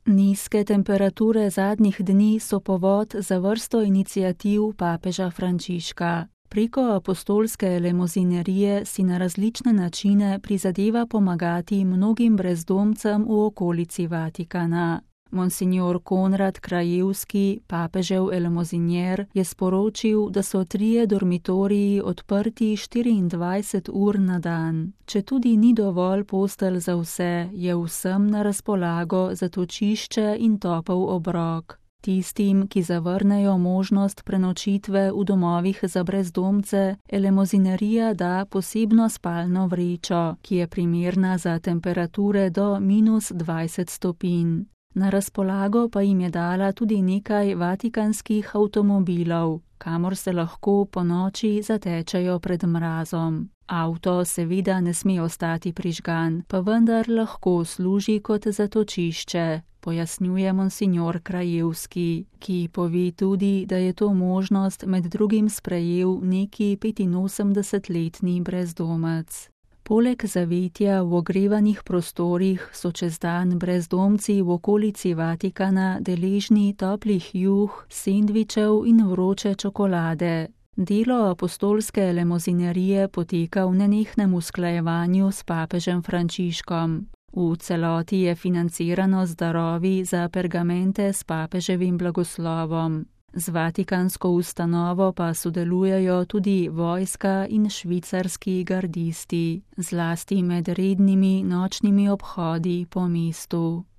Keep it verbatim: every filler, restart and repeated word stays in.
Nizke temperature zadnjih dni so povod za vrsto iniciativ papeža Frančiška. Preko apostolske elemozinerije si na različne načine prizadeva pomagati mnogim brezdomcem v okolici Vatikana. Monsignor Konrad Krajewski, papežev elemozinier, je sporočil, da so trije dormitoriji odprti štiriindvajset ur na dan. Če tudi ni dovolj postelj za vse, je vsem na razpolago zatočišče in topel obrok. Tistim, ki zavrnejo možnost prenočitve v domovih za brezdomce, elemozinerija da posebno spalno vrečo, ki je primerna za temperature do minus dvajset stopinj. Na razpolago pa jim je dala tudi nekaj vatikanskih avtomobilov, kamor se lahko ponoči zatečejo pred mrazom. Avto seveda ne sme ostati prižgan, pa vendar lahko služi kot zatočišče, pojasnjuje monsignor Krajewski, ki pove tudi, da je to možnost med drugim sprejel neki petinosemdesetletni brezdomec. Poleg zavetja v ogrevanih prostorih so čez dan brezdomci v okolici Vatikana deležni toplih juh, sendvičev in vroče čokolade. Delo apostolske elemozinerije poteka v nenehnem usklajevanju s papežem Frančiškom. V celoti je financirano z darovi za pergamente s papeževim blagoslovom. Z vatikansko ustanovo pa sodelujejo tudi vojska in švicarski gardisti, zlasti med rednimi nočnimi obhodi po mestu.